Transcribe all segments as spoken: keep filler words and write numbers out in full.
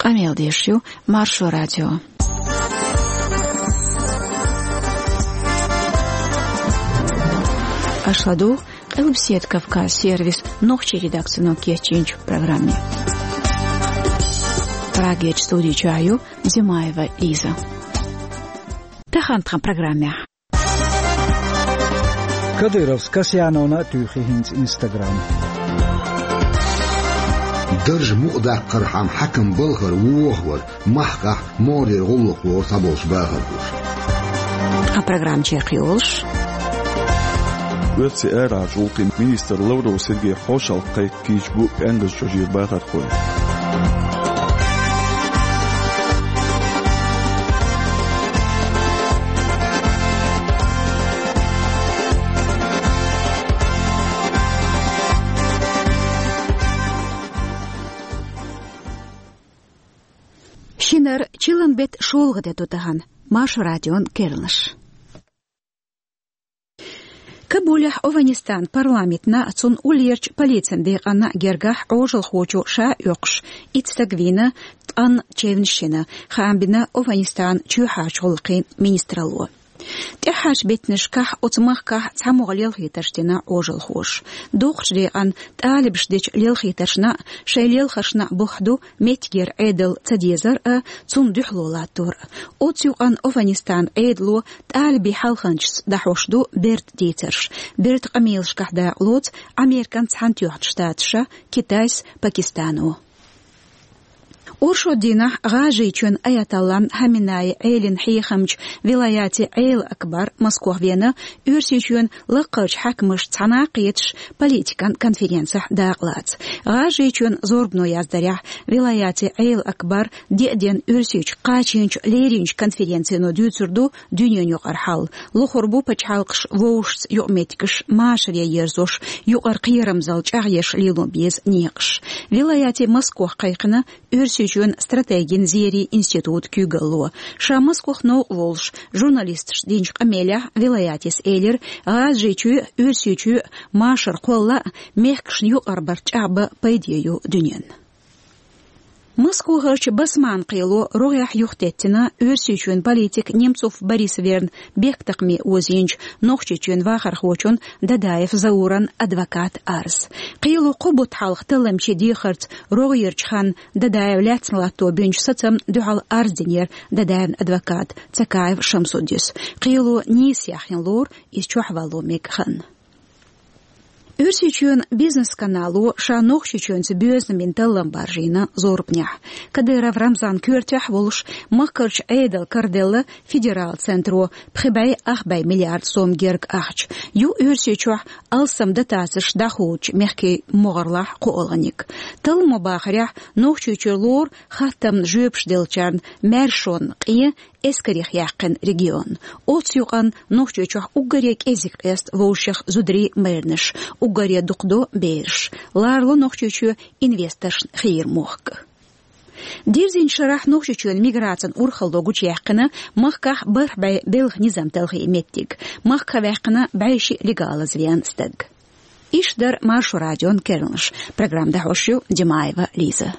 Къамел деш ю Маршо радио. Аша ладугӀу Къилбаседа Кавказ сервисан нохчийн редакцино кечйинчу программе. Прагерчу студи чохь ю Зимаева Лиза. Тахана тхан программехь. Кадыровс Касьяновна а туьйхи хӀинца Instagram. Дарж мукъадаккхархьама хьаькам балхара вохавар махкахь мордера гӀуллакх лору схьаболчу бахархоша. Тхан программа чекхйолуш. Оьрсийн арахьарчу гӀуллакхийн министр Лавров Сергей хьошалгӀа кхайкхийча бу пӀенгазчу жира бахархой. Шинара чиллан беттан шолгӀа де ду тахана. Маршо радион керланаш. Кабулехь Афганистанан парламентана а, цунна уллерчу полицин декъана а гергахь Ӏожалхочо ша а оьккхуш, итт стаг вийна, ткъа чевнаш йина, хаам бина Афганистанан чоьхьарчу гӀуллакхийн министралло. ТӀаьххьарчу беттанашкахь оцу махкахь цхьамогӀа лелхийтарш дина Ӏожалхоша. Доккхачу декъана тӀалибаша дечу лелхийтаршна а, шайн лелхаршна а бухь ду меттигера Ӏедал ца дезар а, цунна дуьхьало латтор а. Оцу юкъанна Афганистанан Ӏедало тӀалибийн хьалханчашца дӀахьош ду бертан дийцарш. Бертан къамелашкахь дакъалоцу Американ Цхьаьнатоьхначу Штаташа, Китайс, Пакистано. Оршот дийнахь ГӀажарийчоьнан аятоллан Хаменеин Ӏелин хьехамчу вилаяти Ӏела-Акбар Москох веана, Оьрсийчоьнан лаккхарчу хьаькамашца цхьаьна кхеташ политикан конференцехь дакъалаца. ГӀажарийчоьнан зорбано яздарехь, вилаяти Ӏела-Акбар деа денна Оьрсийчу кхачийначу леринчу конференцино дуьйцур ду дуьненан юкъара хьал. Лохур бу пачхьалкхаш вовшашца юкъаметтигаш машаре ерзош, юкъара кхерамзалла чӀагӀъеш лело беза некъаш. Вилаяти Москох кхайкхина Оьрсийчоьнан стратегин зерийн институтан куьйгалло. Ша Москох новкъа волуш, журналисташна динчу къамелехь вилаятис элира, ГӀажарийчоь а, Оьрсийчоь а машар кхолла а, мехкашна юкъара барт чӀагӀбан пайде ю дуьненна. Москохарчу Басманна кхело рогӀехь юхатеттина Оьрсийчоьнан политик Немцов Борис верна бехктакхаме озийначу Нохчийчоьнан вахархочун Дадаев Зауран адвокатан арз. Кхело кхо бутт хьалха талламчийн дехарца рогӀерчу ханна Дадаев лаьцна латто бинчу сацамна дуьхьал арз динера Дадаевн адвоката Цакаев Шамсуддис. Кхело нийса яхйина лору, иза чохь вало мега хан. Оьрсийчоьнан бизнес-канало ша Нохчийчоьнца боьзна бина таллам баржийна зорбанехь. Кадыров Рамзан коьртехь а волуш, махкарчу Ӏедал караделла федерал центро пхи бӀе ах бӀе миллиард сом герга ахча. Ю Оьрсийчохь алсам дотацеш дӀахоочу мехкийн могӀарлахь кхоалгӀаниг. Талламо бахарехь, Нохчийчуьра лору хаттамна жоьпаш деллачарна маьршонна къен эскарех яьккхина регион. Оцу юкъанна Нохчийчохь уггаре кӀезиг къеста вовшех зударий, майранаш, уггаре дукха до бераш. Ларало Нохчийчоь инвесторшна хийра мохк. Дирзинчу шарахь Нохчийчоьнан миграцин урхалло гучуяьккхина махкахь бархӀ бӀе белхан низам талхийна меттиг. Махках ваьккхина бӀе шиъ легалаза веана стаг. Иштта дара Маршо радион керланаш. Программа дӀахьош ю Димаева Лиза.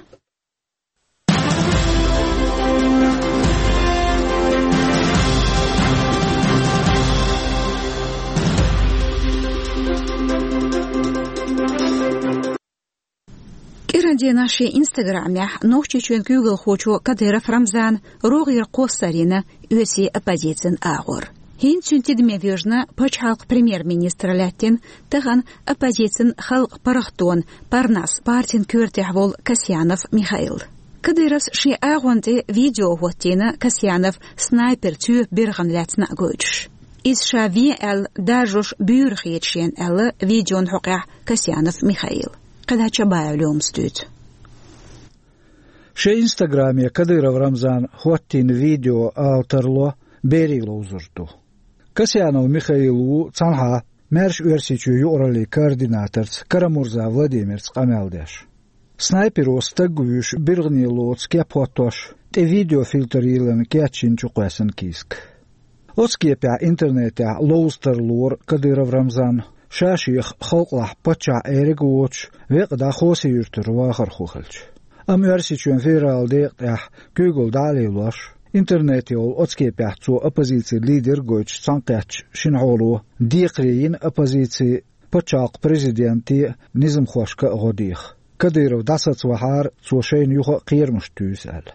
КӀиран дийнахь шен Instagram-ехь Нохчийчоьнан куьйгалхочо Кадыров Рамзана рогӀера кхоссар йина оьрсийн оппозицин агӀор. ХӀинца цуьнан тидаме воьжна пачхьалкхан премьер-министр лаьттина, тахана оппозицин халкъан паргӀатонан Парнас партин коьртехь волу Касьянов Михаил. Кадыровс шен агӀон тӀе видео хӀоттийна Касьянов снайпер цоь биргӀана лаьцна а гойтуш. Иза ша вен аьлла даржош буьйра хета шена, аьлла видеон хьокъехь Касьянов Михаила. КхидӀа Чабаев Лёмас дуьйцу. Шен Instagram-е Кадыров Рамзана хӀоттийна видео ала тарло берийн ловзар ду. Касьянов Михаил ву цхьанхьа Маьрша Оьрсийчоь юкъараллин координаторца Карамурза Владимирца къамел деш. Снайперо стаг вуьйш биргӀане лоцу кеп хӀоттош, тӀе видеофильтр йиллина кечйина чукхоьссина кийсак. Оцу кепехь интернетехь ловза тарлора Кадыров Рамзан, ша шех халкъалахь паччахь Ӏериг а воцуш, векъа дӀа Хоси-Юьртара вахархо хилча. Амма Оьрсийчоьнан федералан декъа тӀехь куьйгалла дӀа а лелош, интернете йолу оцу кепехь цо оппозицин лидер гойтуш цхьаьнакхеттачу шина хьоло декхаре йина оппозици пачхьалкхан президенте а, низамхошка а гӀо деха. Кадыров дӀасаца вахьара, цо шайна юха а кхерамаш туьйсу аьлла.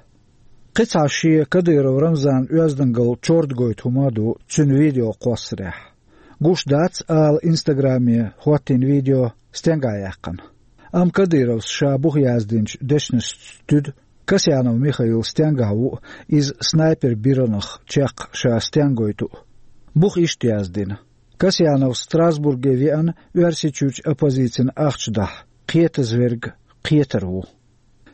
Кхин цхьа шен Кадыров Рамзанан оьздангалла чордагойту хӀума а ду цуьнан видеокхоссарехь. Гуш дац ала Инстаграме хӀоттийна видео стенгахь яьккхина. Амма Кадыровс ша буха яздинчу дешнашца туьду, Касьянов Михаил стенгахь ву а, иза снайпер биранах чекх ша стенгахь гойту а. Буха иштта яздина: «Касьянов Страсбурге веана Оьрсийчуьрчу оппозицин ахча дахьа, кхетазверг кхетар ву».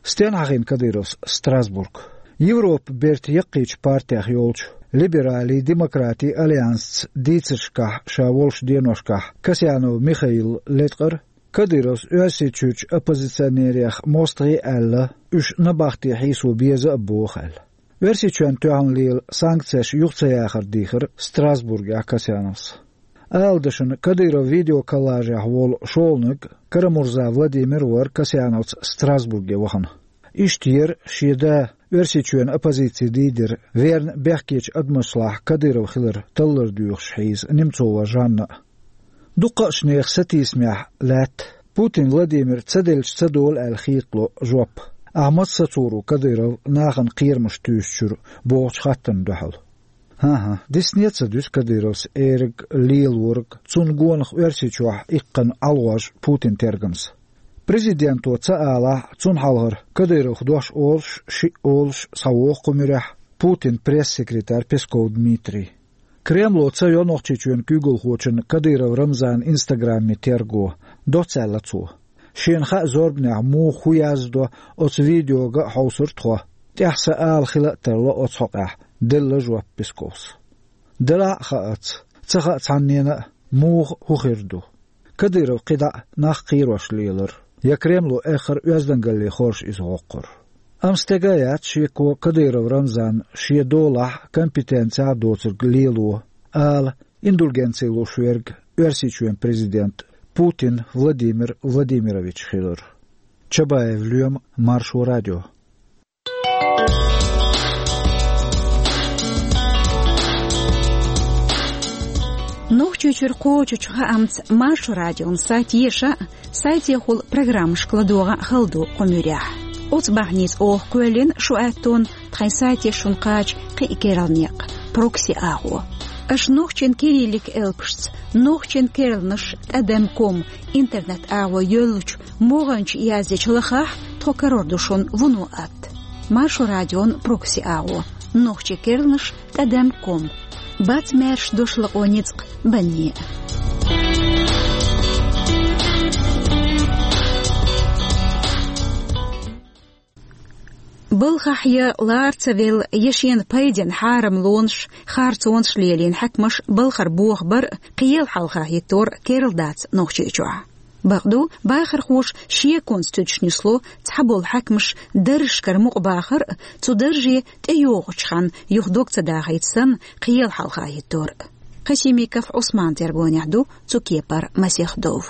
Стенна хьахийна Кадыровс Страсбург? Европан бертан яккхийчу партех йолчу Либералий-демократий альянсца дийцаршкахь ша волуш деношкахь Касьянов Михаила латкъара, Кадыровс Оьрсийчуьрчу оппозиционерех мостагӀий аьлла, уьш набахте хьийсо беза а боху аьлла. Оьрсийчоьнна тоьхна лела санкцеш юха ца яхар дийхира Страсбургехь Касьяновс. Ала дашна, Кадыров видеоколлажехь волу шолгӀаниг Карамурза Владимир вара Касьяновца Страсбурге вахана. Иштта яра шен да, Оьрсийчоьнан оппозицин лидер, верна бехкечу адамашлахь Кадыров хилар таллар доьхуш хьийза Немцова Жанна а. Дуккха а нехан сатийсамехь лаьтта, Путин Владимир ца делча ца долу аьлла хетало жоп, ахьа маца сацор ву Кадыров нахана кхерамаш туьйсучуьра бохучу хаттарна дуьхьал. ХӀан-хӀа, дисне а ца дуьсу Кадыровс эраг, лелораг, цунна гонах Оьрсийчохь иккхина ӀалгӀож Путинан тергамца. Президенто ца алахь а, цунна хьалхара Кадыровх дош олуш, шиъ олуш схьавогӀу кху муьрехь Путинан пресс-секретарь Песков Дмитрий. Кремло ца йо Нохчийчоьнан куьйгалхочун Кадыров Рамзанан Инстаграме терго, доцца аьлла цо. Шена хаьа зорбанехь муха хӀун яздо, оцу видеога а хьовсура тхо. ТӀаьхьа сан ала хила а тарло оцу хьокъехь, делла жоп Песковс. Делахь а хаьа, ца хаьа цхьаннена а, муха хӀун хир ду. Кадыров кхидӀа а нах кхерош лелара, я Кремло эххар а оьздангалле хоржуш иза гӀоккхура. Амма стеган а яц шеко Кадыров Рамзанна шен долахь а, компетенцехь а доцург лело, ала, индульгенци луш верг Оьрсийчоьнан президент Путин Владимир Владимирович хилар. Чабаев Лоьма, Маршо радио. Нохчийчуьра кхочучу хаамца Маршо радион сайт еша а, сайтехула программашка ладогӀа а хала ду кху муьрехь. Оцу бахьаница оха кхоьллина шу аьттон тхайн сайте шуна кхача кхин а керла некъ, прокси агӀо. Аша нохчийн кириллик элпашца, нохчийн керланаш тӀадам ком интернет агӀо йоьллучу могӀанчу яздечу лахахь, тхо карор ду шуна вуно атта. Маршо радион прокси агӀо, нохчийн керланаш тӀадам ком. Бац маьрша дош лакъо ницкъ банне а. Балхахь я лара ца велла, я шена пайденна хьарамлонаш, харцонаш лелийна хьаькамаш балхара бохабар а, кхел хьалха хӀиттор а керла дац Нохчийчохь. Бакъду, бахархоша шеконца туьдуш нисло цхьаболу хьаькамаш даржашкара мукъа бахар а, цу дарже тӀейогӀучу ханна юха дог ца дахийта санна, кхел хьалха хӀиттор а. Касимиков Ӏусманан тергонехь ду цу кепара масех дов.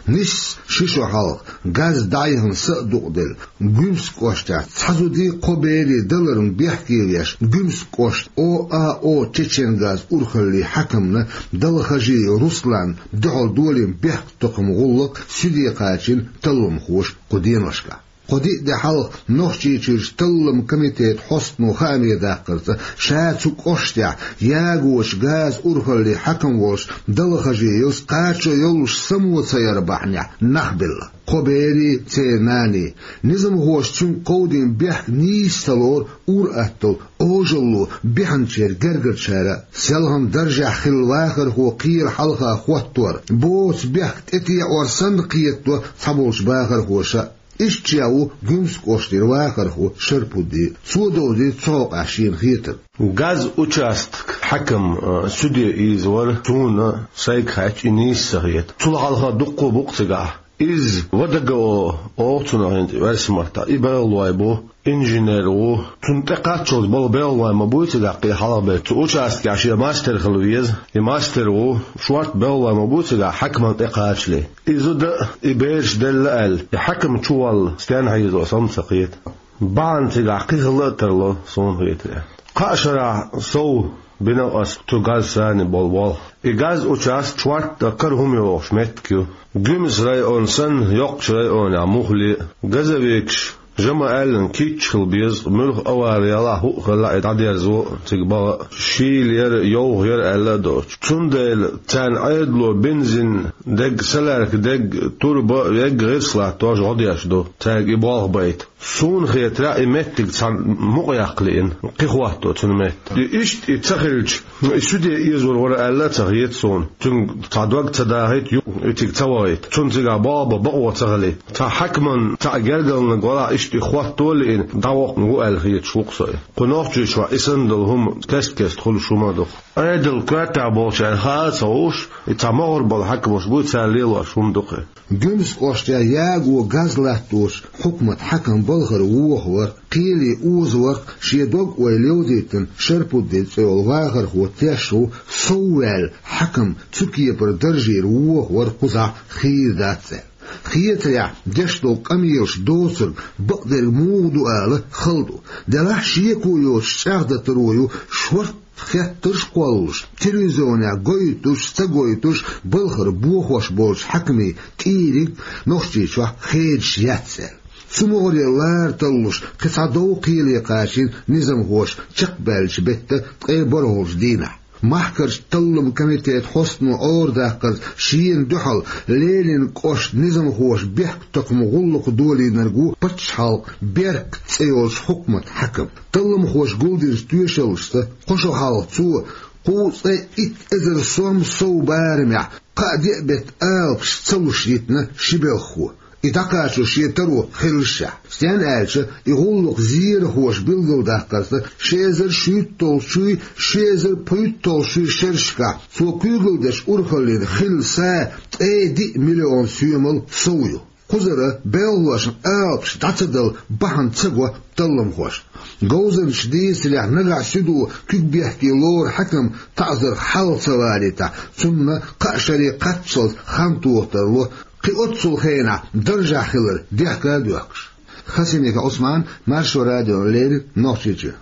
Нисса ши шо хьалха, газ дӀаяхана са а дукъаделла, Гуьмсан кӀоштахь цхьа зуда кхо берийн даларна бехке веш, Гуьмсан кӀоштан О А О «Чеченгаз» урхаллин хьаькамна Далхажиев Русланна дуьхьал долийна бехктакхаман гӀуллакх суьде кхачийна талламхоша кху деношкахь. Кхо-диъ де хьалха Нохчийчуьрчу талламан комитетан хьостано хааме даккхарца, ша цу кӀоштехь ягочу газан урхаллин хьаькам волуш Далхажиевс кхачо йолуш само ца яр бахьанехь нах белла. Кхо берийн, церан наний. Низамхоша цуьнга кховдийна бехк нийса ца лору, ур-атталла, Ӏожалло бехначеран гергарчара а. Селхана даржехь хилла вахархо кхел хьалха хӀоттор, боцу бехк тӀетеӀор санна кхетадо цхьаболчу бахархоша а. Иштта ша ву Гуьмсан кӀоштара вахархо Шарпудди. Цо довзуьйту цу хьокъехь шена хетарг. Газ участок хьаькам, а, суьде ийзавар суна сайга хаьттича, и нийса ца хета. Цул хьалха дуккха а бу-кх цигахь. Иза ВДГО оха цунах хӀинца версмартахь. И белхалой бу, инженер ву. Цунна тӀекхаччалц болу белхалой ма буй цигахь кхин хьалхаберш. Цу участкехь шен мастер хила веза. И мастер ву, шорта белхалой ма буй цигахь хьаькаман тӀекхачале. И зуда а, и бераш делла аьлла, и хьаькам чу валла стенна хьийзо сан ца кхета. Бахьана цигахь кхин хила а тарло, суна хетарехь. Кхаа шарахь сов бина ас цу газа санна болу болх. И газа участок шортта кара хӀума йогӀуш меттиг ю. Гуьмсан район санна, йоккхачу районехь муххале а, газовикаш, жа ма-аьллина, кийча хила беза, муьлха авари ялахь, хӀуъа хилла а, и дӀадерзо а, цига баха а, шийла яра, йовха яра аьлла а доцуш. Цундела царна Ӏедало бензин дерг, солярка дерг, турба а, вегга гӀирс латтош гӀо деш ду, цаьрга и болх байта. Суна хетарехь, и меттиг цхьа мукъа яккха лиъна, кхин хӀотто цуьнан метта. И иштта и ца хилча, и суьде эзар вара аьлла а ца хета суна. Цуьнга цхьа дог ца дахийта, ю-, и цига ца вахийта. Цунна цигахь болх бан бакъо ца хилийта. Цхьа хьаькаман цхьа гергарланиг валахь, иштта и хӀотто а лиъна, дӀавоккхун ву аьлла хеташ ву-кх со и. Кху Нохчийчохь и санна долу хӀума кест-кеста хуьлуш хӀума ду-кх. Ӏедал коьртехь болчарна хаа а ца хууш, и цхьа могӀара болу хьаькамаш буй, цара лелош хӀума ду-кх и. Гуьмсан кӀоштехь яго газ латтош хьукмат хьаькам балхара вохавар, кхеле озавар, шен дог-ойла йовзийтина Шарпуддин цӀе йолу вахархо теш ву, сов ваьлла хьаькам цу кепара даржера вохавар кхузахь хийра дац аьлла. Хетарехь, деш долу къамелаш доцург бакъдерг муха ду ала хала ду. Делахь шеко йоцуш чӀагӀдан таро ю шорт хеттарш а кхоллалуш, телевизионехь гойтуш, ца гойтуш, балхара бохош болчу хьаькамийн тӀе ерриг Нохчийчохь хедаш яц аьлла. Цу могӀаре лара таллуш, кхин цхьа дов кхеле кхачийна низамхоша чекхбаьллачу беттан ткъе бархӀалгӀачу дийнахь. Махкарчу талламан комитетан хьостано Ӏорадаккхарца, шена дуьхьал Ленинан кӀоштан низамхоша бехктакхаман гӀуллакх долийнарг ву пачхьалкхан «Беркат» цӀе йолчу хьукматан хьаькам. Талламхоша гулдинчу тоьшаллашца, кхо шо хьалха цо кхузткъа цхьа итт эзар сом сов барамехь, кхаа-деа беттан алапаш ца луш йитина ши белхахо, и дӀакхачо шен таро хиллашехь. Стенна аьлча, и гӀуллакх зерахоша билгалдаккхарца, ши эзар шуьйтталгӀачуй, ши эзар пхуьйтталгӀачуй шерашкахь цо куьйгалла деш урхаллина хилла са ткъе диъ миллион соьмал сов ю. Кхузара белхалошна алапаш дӀа ца дала бахьана ца го талламхошна. Говзанчаша дийцарехь, нагахь суьдо куьг бехке лору хьаькам таӀзарх хьалха ца валийтахь, цунна кхаа шаре кхаччалц хан тоха тарло, кхин оццул хенахь даржехь хилар дехка а доьхкуш. Хасимиков Ӏусман, Маршо радиона леррина, Нохчийчоь.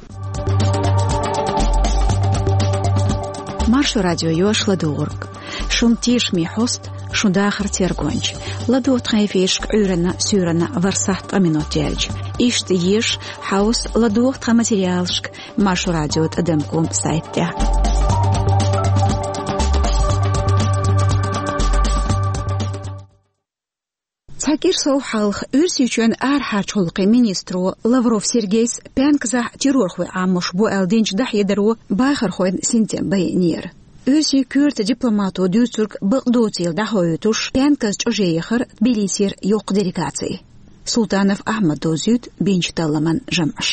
Маршо радио йош ладугӀург. Шун тешаме хьоста, шун дахар тергонча. ЛадогӀа тхан эфирашка Ӏуьйранна, суьйранна ворхӀ сахьт ткъа минот яьлча. Иштта еша, хьовса, ладогӀа тхан материалашка Маршо радио тӀадам ком сайта тӀехь. Цхьа кӀира сов хьалха Оьрсийчоьнан арахьарчу гӀуллакхийн министро Лавров Сергейс Пенкзахь террорхой Ӏамош бу аьлла динчу дӀахьедаро бахархойн синтем байинера. Оьрсийн коьрта дипломато дуьйцург бакъдоцийла дӀахоуьйтуш, Пенказ чӀоже яхара Тбилисера йоккха делегаци. Султанов Ахьмада довзуьйту бинчу талламан жамӀаш.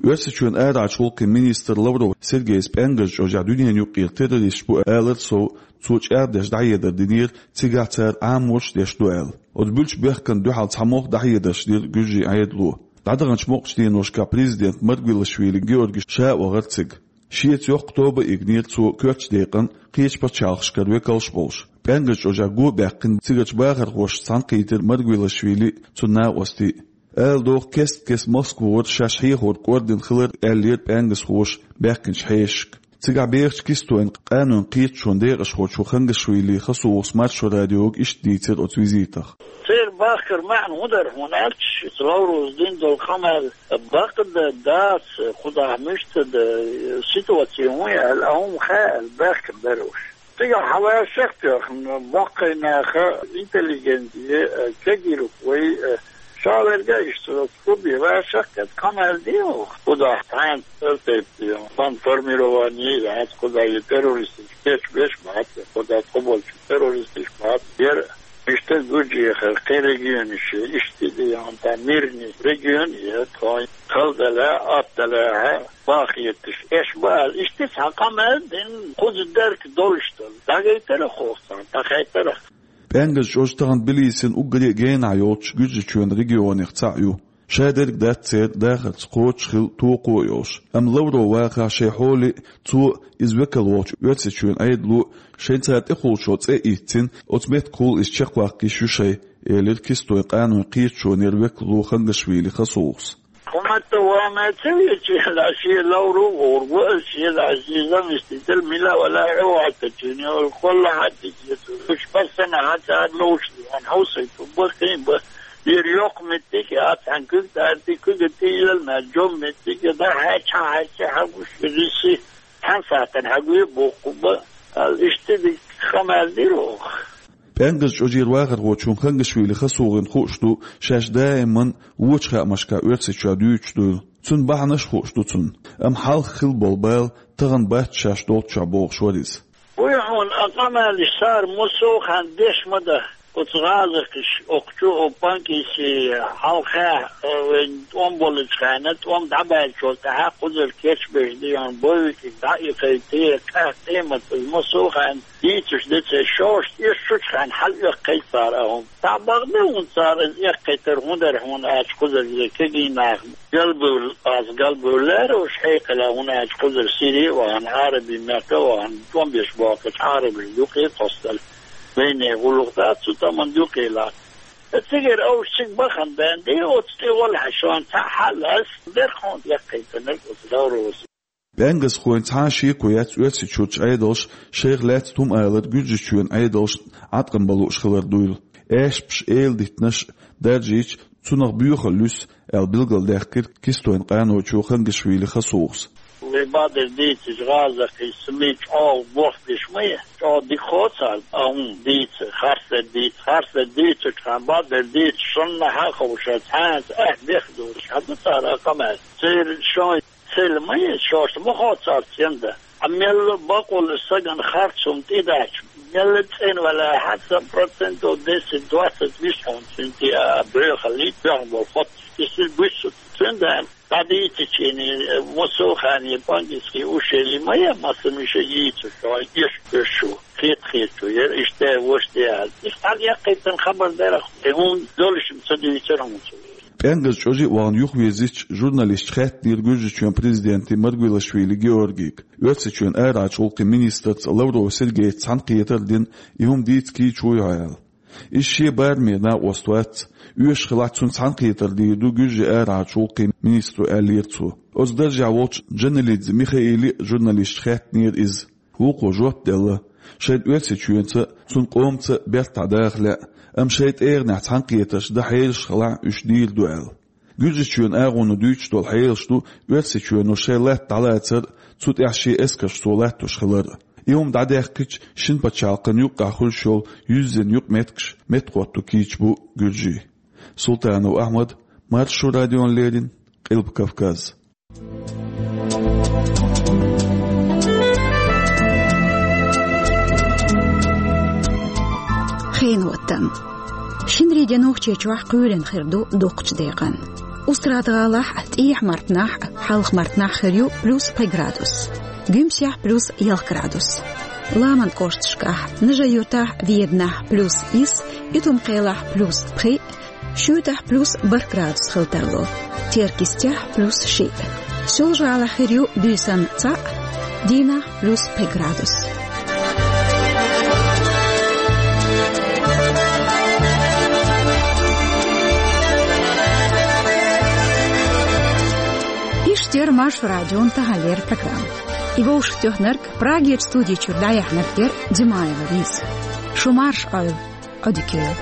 Оьрсийчоьнан арахьарчу гӀуллакхийн министр Лавров Сергейс Пенказ чӀожехь дуьненан юккъера террористаш бу алар сов, цо чӀагӀдеш дӀахьедар динера, цигахь цара Ӏамош деш ду аьлла. Оцу буьллучу бехкана дуьхьал цхьа могӀа дӀахьедарш дира гуьржийн Ӏедало. ДӀадаханчу мукъачу деношкахь президент Маргвелишвили Георгий ша а вахара цига. Шеца йоккха тоба а йигнера цо коьртачу декъана кхечу пачхьалкхашкара векалш а болуш. Пенказ чӀожехь го а баьккхина цигарчу бахархошца цхьаьнакхийтира Маргвелишвили а, цуьнан накъостий а. Ала догӀу, кест-кеста Москвара шаьш хьехорг кӀордина хилар аьллера пенгазхоша баьхкинчу хьешашка. Цигахь бехачу кистойн къанойн кхеташонан декъашхочо Хангашвили Хасувас Маршо радиога иштта дийцира оцу визитах. Церан бахкар маьӀна хӀун дара хьуна аьлча, Лавровс дина долу къамел бакъда дац, кхузахь муьста да, ситуаци хӀун яьлла, а хӀума хаьа аьлла баьхкина дара уьш. Цигахь хьан ваьшшах а тоьхна, боккхий наха, интеллигенция, э, кегийриг вай, э, ша верг а иштта, клубе ваьшшах а кхета, къамел де ву, кхузахь цхьаьна цӀе тайпа де, бандформирование яц, кхузахь и террористаш кечбеш бац, кхузахь тхо болчу террористаш бац, яра иштта гучуяхар, кхин регионаш, иштта де, хӀунда мирный регион я тхо. Хала далахь, атта далахь, баха хеташ, эш баал, иштта цхьа къамел дина, кхуза дерг долуш дара. ДӀагайтарах хӀокху царна, дӀахайтарах. ПӀаьнгаза чӀож тахана Тбилисина уггаре а генахь йолчу Гуьржийчоьнан регионех цхьаъ ю. Шадерг дац церан дахарца кхочуш хила токхо а йолуш, амма Лавров вахахь шайн хьоле а, цо иза векал вахча Оьрсийчоьнан Ӏедало а шайн цара тӀехула шо цӀе а ийцина, оцу меттигахула иза чекхваккха йиш ю шайн, элира Кистойн къаной кхеташонера векало Хангашвили Хасухас. Хьуна тӀе ван ма ца веача, шен Лавров гӀур ву, шен заместитель мила вала хьо ваьттачуьнга, кхолла хьаьттича, уьш пассана хьан цара ловш, ван хьовсайта, баккхий бан. Ира йоккха меттиг а, цхьаьна куьг тӀаьрти, куьга тӀейлла, ма жом меттиг а, дан хьаьча, хьаьча, хьан гуш, риси, цхьана сахьтана хьан гуй боху бан, аьлла, иштта дика къамел дира оха. ПӀаьнгаза чӀожера вахархочунна Хангашвили Хасухина хууш ду, шаьш даиман вочу хаамашкахь Оьрсийчохь дуьйцуш дуйла. Цуьнан бахьанаш а хууш ду цунна, амма хьалха хилла болу бала тахана бац шаьш долччохь бохуш вара иза. Вуй хьуна, а къамелаш цара муссо а хан деш ма дан. Оцу гӀазакхаш, окху чу, оцу Панкиси хьалха, э, вайн тӀом болчу хенахь, тӀом дӀабаьллачул тӀаьхьа кхузара кечбеш дан, боевикиг дӀа а кхайкхий, къаьхьа къематалла муссо а хан дийцуш деций, шоьш тӀе шучу хенахь хьалаэккхий цара а хӀума. Цхьа бакъ ду хьуна цара иза эккхийтар хӀун дара хьуна аьлча, кхузара иза кегий нах галбевлла, аса галбевллера уьш хьекъала хӀуна аьлча, кхузара Сири а вахана, Ӏараби мехка а вахана, тӀом беш бохкучу Ӏарабашна юкъе а кхоссалла, вайне гӀуллакх дац цу тӀаман юкъе лаьцна. Цигара овш цига бахана бен, ди оцу тӀе валахь шуна цхьа хьал ас, дерхьа хьуна эккхийтинарг оцу Лавровс. ПӀаьнгазхойн цхьа а шеко яц Оьрсийчуьрчу Ӏедалша шайх лаьцна хӀума алар Гуьржийчоьнан Ӏедалшна Ӏаткъам бан лууш хилар дуйла. Аьшпаш, эладиттанаш даржийча, цунах боьхалла юьсу, аьлла билгалдаьккхира Кистойн къанойчо Хангашвили Хасухас. Вай бакъдерг дийцича, гӀазакхий СМИ чӀогӀа гохбеш ма ю, чӀогӀа дика хо царна, а хӀума дийца, харцдерг дийца, харцдерг дийцучу хенахь бакъдерг дийца, шуна хьан ховша, цхьаьнца ахь бех долуш хьан ду цара а къамел. Церан шайн цел ма ю, шоьш ма хо цара цӀенда. Ткъа мелла бакъволу сагана харц хӀума тӀедача, мелла цӀена валахь, хьан сан процентов десять-двадцать виш хьуна цуьнан тӀе а боьхаллий, боьхна болу хоттуш, кисил буьссу. Цуьнан дӀадийцича, муссо а ханна Панкиски ушели ма ян, массо а миша йийцуш, хьо эш кхуьссуш ву, хета-хетачо яра, иштта вуьш тӀе а. Иштта хьалаэккхийтина хабар дара, и хӀума долуш ца дуьйцура хьуна цо. ПӀаьнгаза чӀожа а вахана юхавирзича, журналисташа хаьттинера Гуьржийчоьнан президенте Маргвелашвили Георгийга, Оьрсийчоьнан арахьарчу гӀуллакхийн министрца Лавров Сергейца цхьаьнакхетар а дина, и хӀума дийца кийча вуй хьо аьлла. Иза шен барамера накъост вац, оьшуш хилахь, цунна цхьаьнакхетар дийр ду Гуьржийн арахьарчу гӀуллакхийн министро, аьллера цо. Оцу даржехь волчу Джаналидзе Михаиле а журналисташа хаьттинера иза. Вукхо жоп делла, шайна Оьрсийчоьнца а, цуьнан къомца а бертахь даха лаьа, амма шайн тӀегӀанехь цхьаьнакхетарш дан хьелаш хилахь, уьш дийр ду аьлла. Гуьржийчоьнан агӀоно дуьйцуш долу хьелаш ду Оьрсийчоьно шайн латта дӀалацар а, цу тӀехь шен эскарш цо латтош хилар а. И хӀума дӀадаьккхича, шина пачхьалкхана юккъехь хуьлуш йолу юьззина юкъаметтигаш меттахӀотто кийча бу Гуьржийн. Султанов Ахьмад, Маршо радиона леррина, Къилба Кавказ. Хенан оттам. Шинарин де Нохчийчохь кхоьлина хир ду дуккхачу декъана. Устрада-ГӀалахь, ТӀехьа-Мартанахь, Хьалха-Мартанахь хир ю плюс пхи градус. Гуьмсехь плюс ялх градус. Ламан кӀошташкахь, Нажи-Юьртахь, Веданахь плюс исс, Итум-Кхелахь плюс пхиъ, Шуьйтахь плюс бархӀ градус хила тарло. Теркйистехь плюс шиъ. Соьлжа-ГӀалахь хир ю буьйсанна цхьаъ, дийнахь плюс пхи градус. Иштта яра Маршо радион таханлера программа. И вовшахтоьхнарг, Прагерчу студи чуьра дӀаяьхьнарг яра Димаева Лиза. Шу марша Ӏойла, Ӏодика йойла.